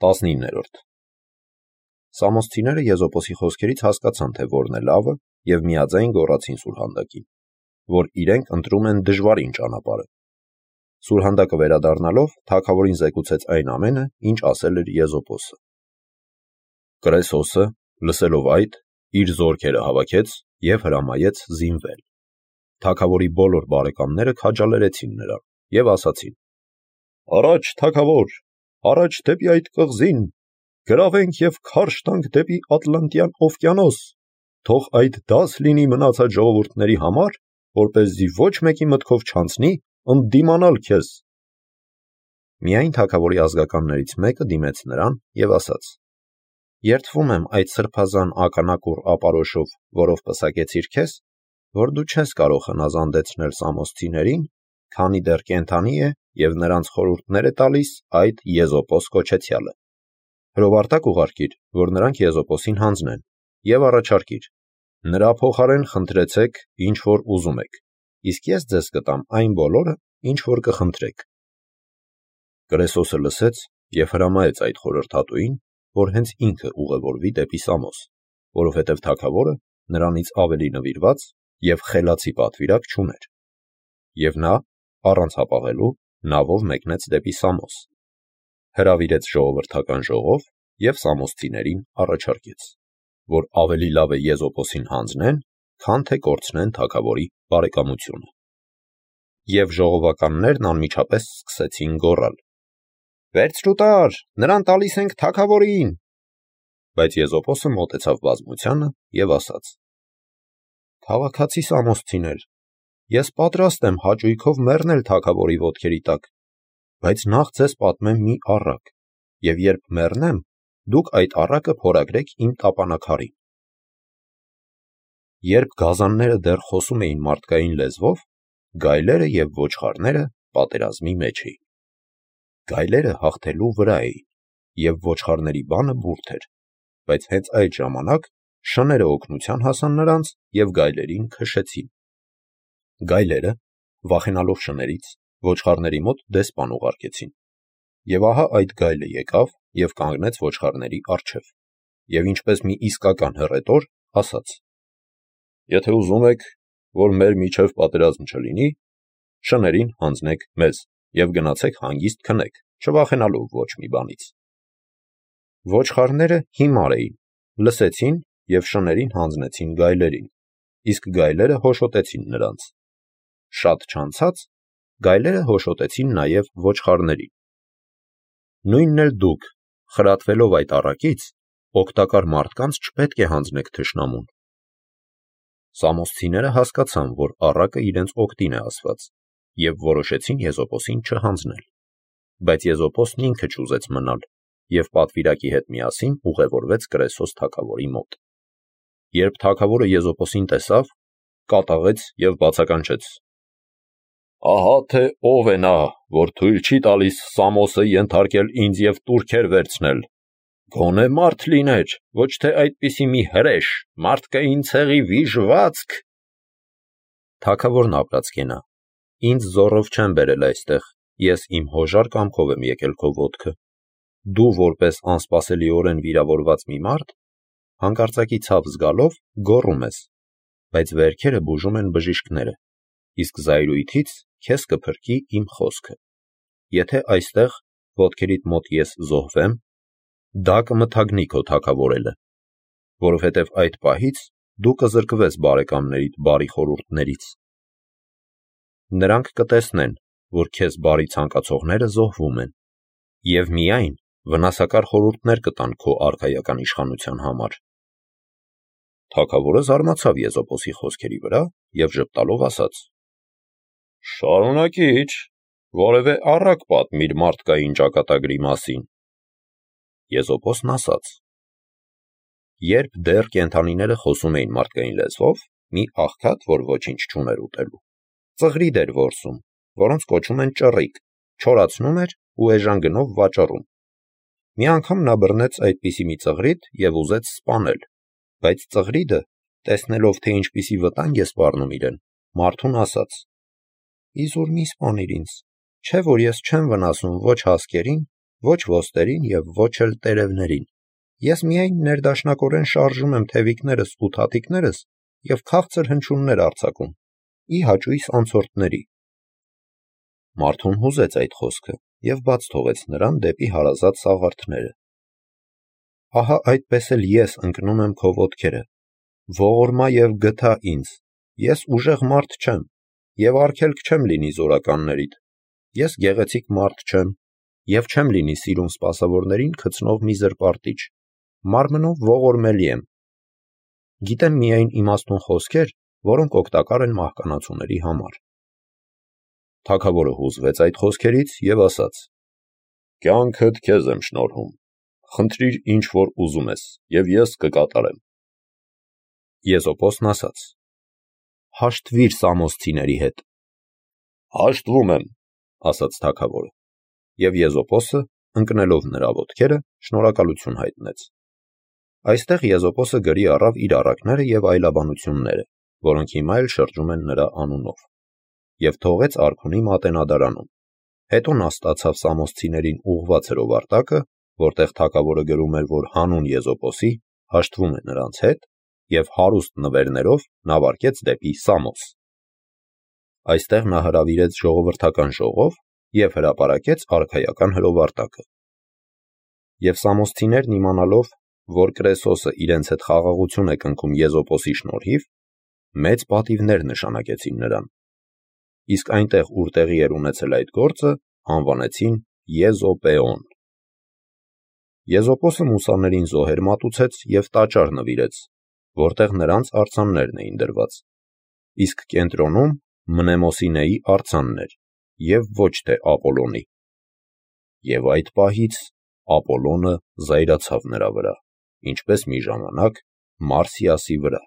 19-րդ Սամոսցիները Եզոպոսի խոսքերից հասկացան, թե որն է լավը, և միաձայն գոռացին Սուրհանդակին, որ իրենք ընտրում են դժվարին ճանապարհը։ Սուրհանդակը վերադառնալով թագավորին զեկուցեց այն ամենը, ինչ ասել էր Եզոպոսը։ Կրեսոսը, լսելով այդ, իր զորքերը հավաքեց և հրամայեց զինվել։ Թագավորի բոլոր բարեկամները քաջալերեցին նրան և ասացին. «Առաջ, թագավոր, առաջ դեպի այդ կղզին, գրավենք և քարշ տանք դեպի Ատլանտյան օվկիանոս, թող այդ դաս լինի մնացած ժողովուրդների համար, որպեսզի ոչ մեկի մտքով չանցնի ընդդիմանալ քեզ»։ Միայն թագավորի ազգականներից մեկը դիմեց նրան և ասաց. «Երդվում եմ այդ սրբազան ականակուռ ապարոշով, որով պսակեցիր քեզ, որ դու չես կարող հնազանդեցնել սամոսցիներին, քանի դեռ կենդանի է և նրանց խորհուրդներ է տալիս այդ Եզոպոս կոչեցյալը։ Հրովարտակ ուղարկիր, որ նրանք Եզոպոսին հանձնեն, և առաջարկիր. նրա փոխարեն խնդրեցեք, ինչ որ ուզում եք, իսկ ես ձեզ կտամ այն բոլորը, ինչ որ կխնդրեք»։ Կրեսոսը լսեց և հրամայեց այդ խորհրդատուին, որ հենց ինքը ուղևորվի դեպի Սամոս, որովհետև թագավորը նրանից ավելի նվիրված և խելացի պատվիրակ չուներ։ Եվ նա, առանց հապաղելու, նավով մեկնեց դեպի Սամոս, հրավիրեց ժողովրդական ժողով և սամոսցիներին առաջարկեց, որ ավելի լավ է Եզոպոսին հանձնեն, քան թե կորցնեն թագավորի բարեկամությունը։ Եվ ժողովականներն անմիջապես սկսեցին գոռալ. «Վերցրու տար, նրան տալիս ենք թագավորին»։ Բայց Եզոպոսը մոտեցավ բազմությանը և ասաց. «Քաղաքացի սամոսցիներ, ես պատրաստ եմ հաճույքով մեռնել թագավորի ոտքերի տակ, բայց նախ ձեզ պատմեմ մի առակ, և երբ մեռնեմ, դուք այդ առակը փորագրեք իմ տապանաքարին»։ Երբ գազանները դեռ խոսում էին մարդկային լեզվով, գայլերը և ոչխարները պատերազմի մեջ էին։ Գայլերը հաղթելու վրա էին, և ոչխարների բանը բուրդ էր, բայց հենց այդ ժամանակ շները օգնության հասան նրանց և գայլերին քշեցին։ Գայլերը, վախենալով շներից, ոչխարների մոտ դեսպան ուղարկեցին։ Եվ ահա այդ գայլը եկավ և կանգնեց ոչխարների առջև, և ինչպես մի իսկական հռետոր, ասաց. «Եթե ուզում եք, որ մեր միջև պատերազմ չլինի, շներին հանձնեք մեզ և գնացեք հանգիստ քնեք, չվախենալով ոչ մի բանից»։ Ոչխարները հիմար էին, լսեցին և շներին հանձնեցին գայլերին, իսկ գայլերը հոշոտեցին նրանց։ Շատ չանցած գայլերը հոշոտեցին նաև ոչխարներին։ Նույնն էլ դուք, խրատվելով այդ առակից, օգտակար մարդկանց չպետք է հանձնեք թշնամուն։ Սամոսցիները հասկացան, որ առակը իրենց օգտին է ասված, և որոշեցին Եզոպոսին չհանձնել։ Բայց Եզոպոսն ինքը չուզեց մնալ և պատվիրակի հետ միասին ուղևորվեց Կրեսոս թագավորի մոտ։ Երբ թագավորը Եզոպոսին տեսավ, կատաղեց և բացականչեց. «Ահա թե ով է նա, որ թույլ չի տալիս Սամոսը ենթարկել ինձ և տուրքեր վերցնել։ Գոնե մարդ լիներ, ոչ թե այդպիսի մի հրեշ, մարդկային ցեղի վիժվածք»։ Թագավորն ապրած կենա, ինձ զոռով չեն բերել այստեղ, ես իմ հոժար կամքով եմ եկել քո ոտքը։ Դու որպես անսպասելիորեն վիրավորված մի մարդ, հանկարծակի ցավ զգալով գոռում ես, բայց վերքերը բուժում են բժիշկները, իսկ զայրույթից քեզ կփրկի իմ խոսքը։ Եթե այստեղ ոտքերիդ մոտ ես զոհվեմ, դա կմթագնի քո թագավորելը, որովհետև այդ պահից դու կզրկվես բարեկամներիդ բարի խորհուրդներից։ Նրանք կտեսնեն, որ քեզ բարի ցանկացողները զոհվում են, և միայն վնասակար խորհուրդներ կտան քո արքայական իշխանության համար։ Թագավորը զարմացավ Եզոպոսի խոսքերի վրա և ժպտալով ասաց. «Շարունակիր, որևէ առակ պատմիր մարդկային ճակատագրի մասին»։ Եզոպոսն ասաց. Երբ դեռ կենդանիները խոսում էին մարդկային լեզվով, մի աղքատ, որ ոչինչ չուներ ուտելու, ծղրիդ էր որսում, որոնց կոչում են ճռիկ, չորացնում էր ու էժան գնով վաճառում։ Մի անգամ նա բռնեց այդպիսի մի ծղրիդ և ուզեց սպանել, բայց ծղրիդը, տեսնելով, թե ինչպիսի վտանգ է սպառնում իրեն, մարդուն ասաց. «Իզուր մի սպանիր ինձ, չէ՞ որ ես չեմ վնասում ոչ հասկերին ոչ ոստերին և ոչ էլ տերևներին, ես միայն ներդաշնակորեն շարժում եմ թևիկներս ու թաթիկներս և քաղցր հնչյուններ արձակում, ի հաճույս անցորդների։ Մարդուն հուզեց այդ խոսքը և բաց թողեց նրան դեպի հարազատ սաղարթները։ Ահա այդպես էլ ես ընկնում եմ քո ոտքերը, ողորմա և գթա ինձ, ես ուժեղ մարդ չեմ, և արգելք չեմ լինի զորականներիդ, ես գեղեցիկ մարդ չեմ, և չեմ լինի սիրուն սպասավորներին գցնող մի զրպարտիչ, մարմնով ողորմելի եմ, գիտեմ միայն իմաստուն խոսքեր, որոնք օգտակար են մահկանացուների համար։ Թագավորը հուզվեց այդ խոսքերից և ասաց. «Կյանքդ քեզ եմ շնորհում, խնդրիր ինչ որ ուզում ես, և ես կկատարեմ»։ Եզոպոսն ասաց. «Հաշտվիր սամոսցիների հետ»։ «Հաշտվում եմ», ասաց թագավորը, և Եզոպոսը, ընկնելով նրա ոտքերը, շնորհակալություն հայտնեց։ Այստեղ Եզոպոսը գրի առավ իր առակները և այլաբանությունները, որոնք հիմա էլ շրջում են նրա անունով, և թողեց արքունի մատենադարանում։ Հետո նա ստացավ սամոսցիներին ուղղված հրովարտակը, որտեղ թագավորը գրում էր, որ հանուն Եզոպոսի հաշտվում է նրանց հետ, և հարուստ նվերներով նավարկեց դեպի Սամոս։ Այստեղ նա հրավիրեց ժողովրդական ժողով և հրապարակեց արքայական հրովարտակը։ Եվ սամոսցիներն իմանալով, որ Կրեսոսը իրենց հետ խաղաղություն է կնքում Եզոպոսի շնորհիվ, մեծ պատիվներ նշանակեցին նրան, իսկ այնտեղ, ուր տեղի էր ունեցել այդ գործը, անվանեցին Եզոպեոն։ Եզոպոսը մուսաներին զոհեր մատուցեց և տաճար նվիրեց, որտեղ նրանց արձաններն էին դրված, իսկ կենտրոնում Մնեմոսինեի արձանն էր, և ոչ թե Ապոլոնի։ Եվ այդ պահից Ապոլոնը զայրացավ նրա վրա, ինչպես մի ժամանակ Մարսիասի վրա։